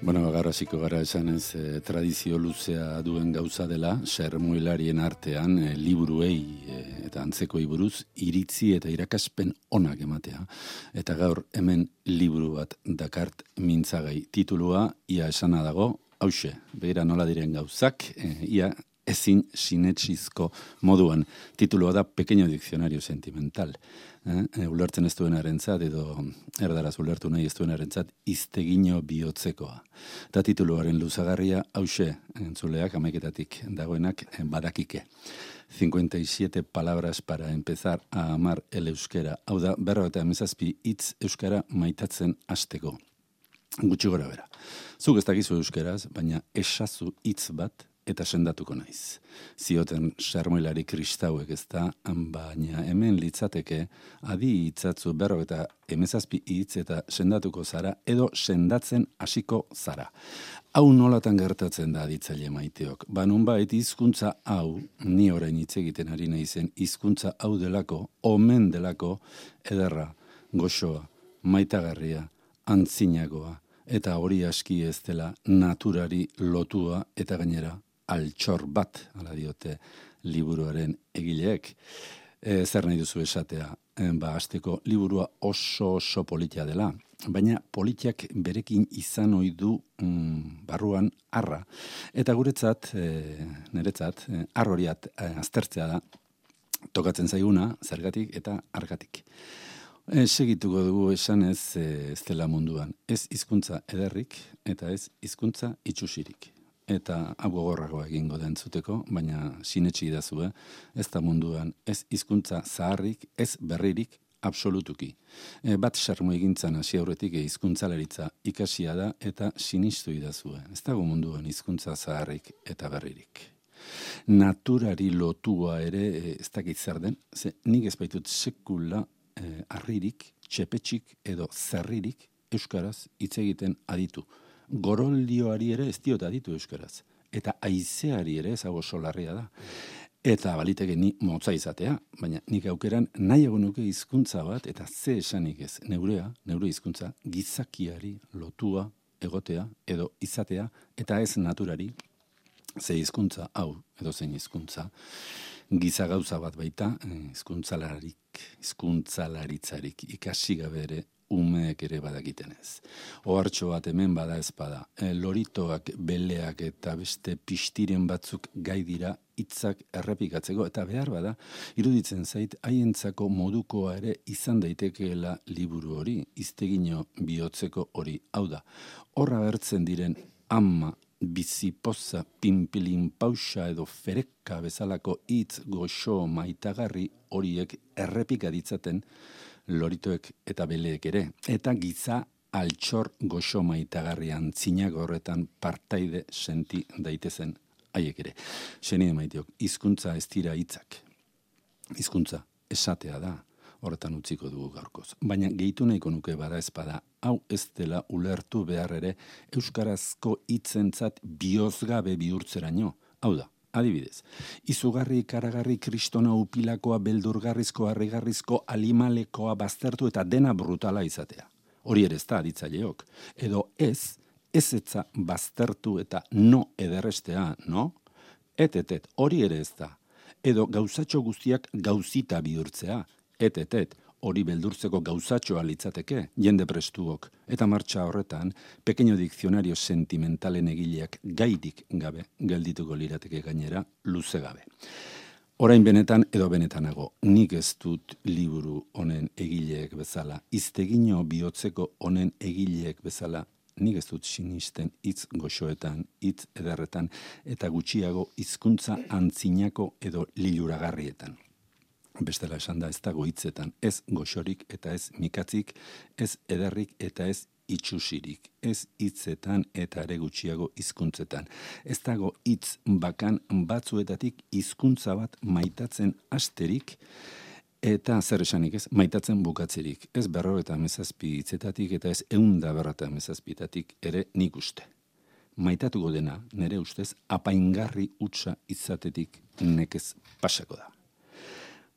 Garrasiko gara esanez, tradizio luzea duen gauza dela, sermoilarien artean liburuei eta antzekoi buruz iritzi eta irakaspen onak ematea. Eta gaur hemen liburu bat dakart mintzagai. Titulua, ia esana dago, hauxe, begira nola diren gauzak, ia ezin sinetsizko moduan. Titulua da Pequeño Diccionario Sentimental. Ulertzen ez duenarentzat edo erdaraz ulertu nahi ez duenarentzat Iztegino bihotzekoa. Eta tituluaren luzagarria hauxe, entzuleak amaiketatik dagoenak badakike. 57 palabras para empezar a amar el euskera. Hau da, 57 hitz euskara maitatzen hasteko. Gutxi gora bera. Zuk ez dakizu euskeraz, baina esazu hitz bat eta sendatuko naiz. Zioten sermoilari kristauek ez da, baina hemen litzateke adi hitzatzu 57 hitz eta sendatuko zara edo sendatzen hasiko zara. Hau nolatan gertatzen da aditzaile maiteok. Nonbait hizkuntza hau, ni orain hitz egiten ari naizen, hizkuntza hau delako, omen delako, ederra, goxoa, maitagarria, antzinagoa, eta hori aski ez dela naturari lotua eta gainera altxor bat, ala diote liburuaren egileek. Zer nahi duzu esatea, hasteko liburua oso politia dela, baina politiak berekin izan ohi du barruan arra. Eta guretzat, niretzat, arroriat aztertzea da, tokatzen zaiguna, zergatik eta argatik. Segituko dugu esanez ez dela munduan, ez hizkuntza ederrik eta ez hizkuntza itxusirik. Eta hau gogorragoa egingo da entzuteko, baina sinetsi idazue, ez da munduan, ez hizkuntza zaharrik, ez berririk, absolutuki. Bat sarmo egintzan hasi aurretik hizkuntzalaritza ikasia da eta sinistu idazue. Ez dago munduan hizkuntza zaharrik eta berririk. Naturari lotua ere ez dakit zer den, ze nik ez baitut sekula harririk, txepetxik edo zerririk euskaraz hitz egiten aditu. Goroldioari ere ez diot aditu euskaraz. Eta haizeari ere ez hau solarria da. Eta baliteke ni motza izatea, baina nik aukeran nahiago nuke hizkuntza bat eta ze esanik ez. Neure hizkuntza gizakiari lotua egotea edo izatea eta ez naturari ze hizkuntza hau edo zein hizkuntza giza gauza bat baita hizkuntzalaritzarik ikasi gabe ere umeek ere badakiten ez. Ohartxo bat hemen bada ez bada. Loritoak, beleak eta beste pistiren batzuk gai dira hitzak errepikatzeko eta behar bada iruditzen zait haientzako modukoa ere izan daitekeela liburu hori, Iztegino bihotzeko hori. Hau da, horra bertzen diren ama, bizipoza, pinpilin pausa edo fereka bezalako hitz goxo maitagarri horiek errepika ditzaten loritoek eta beleek ere. Eta giza altxor goxo maitagarrian zinago horretan partaide senti daitezen haiek ere. Senide maiteok, hizkuntza ez dira hitzak. Hizkuntza esatea da, horretan utziko dugu gaurkoz. Baina gehitu nahiko nuke bada ez bada, hau ez dela ulertu behar ere euskarazko hitzentzat bihozgabe bihurtzeraino. Hau da, adibidez, izugarri, karagarri, kristona upilakoa, beldurgarrizko, harrigarrizko, alimalekoa baztertu eta dena brutala izatea. Hori ere ez da aditzaileok. Edo ezetza baztertu eta no ederrestea, no? Et, hori ere ez da. Edo gauzatxo guztiak gauzita bihurtzea. Et, hori beldurtzeko gauzatxoa litzateke, jende prestuok. Eta martxa horretan, Pequeño Diccionario Sentimentalen egileak gairik gabe geldituko lirateke gainera luze gabe. Orain benetan edo benetanago, nik ez dut liburu honen egileek bezala, Iztegino bihotzeko honen egileek bezala, nik ez dut sinisten hitz goxoetan, hitz ederretan, eta gutxiago hizkuntza antzinako edo liluragarrietan. Bestela esan da ez dago hitzetan, ez goxorik eta ez mikatzik, ez ederrik eta ez itxusirik, ez hitzetan eta ere gutxiago hizkuntzetan. Ez dago hitz bakan batzuetatik hizkuntza bat maitatzen hasterik eta zer esanik ez, maitatzen bukatzerik. Ez 57 hitzetatik eta ez 157 ere nik uste. Maitatuko dena, nire ustez, apaingarri hutsa izatetik nekez pasako da.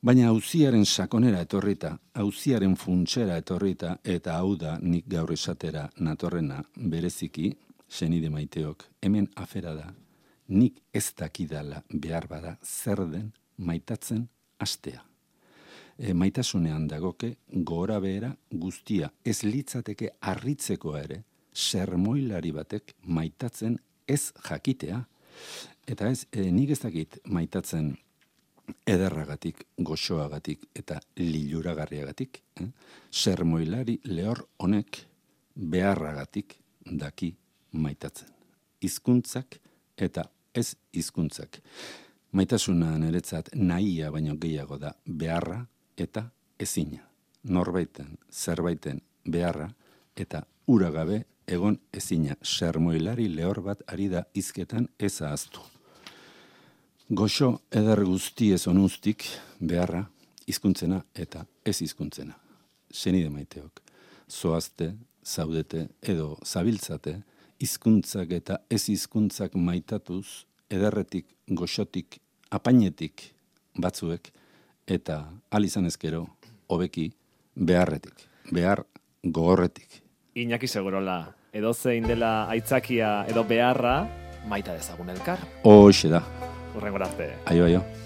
Baina auziaren sakonera etorrita, auziaren funtsera etorrita, eta hau da nik gaur esatera natorrena bereziki, senide maiteok, hemen afera da, nik ez dakidala behar bada zer den maitatzen hastea. Maitasunean dagoke gora behera guztia ez litzateke harritzekoa ere sermoilari batek maitatzen ez jakitea. Eta ez, nik ez dakit maitatzen ederragatik, goxoagatik eta liluragarriagatik. Sermoilari lehor honek beharragatik daki maitatzen. Hizkuntzak eta ez hizkuntzak. Maitasuna niretzat nahia baino gehiago da beharra eta ezina. Norbaiten, zerbaiten beharra eta ura gabe egon ezina. Sermoilari lehor bat ari da hizketan ez ahaztu. Goxo eder guzti ez onuztik beharra, hizkuntzena eta ez hizkuntzena. Senide maiteok, zoazte, zaudete edo zabiltzate, hizkuntzak eta ez hizkuntzak maitatuz, ederretik, goxotik, apainetik batzuek, eta izan ezkero, hobeki, beharretik, behar gogorretik. Iñaki Segurola, edozein dela aitzakia edo beharra, maita dezagun elkar. Hoxe da. Hurrengora arte. Aio.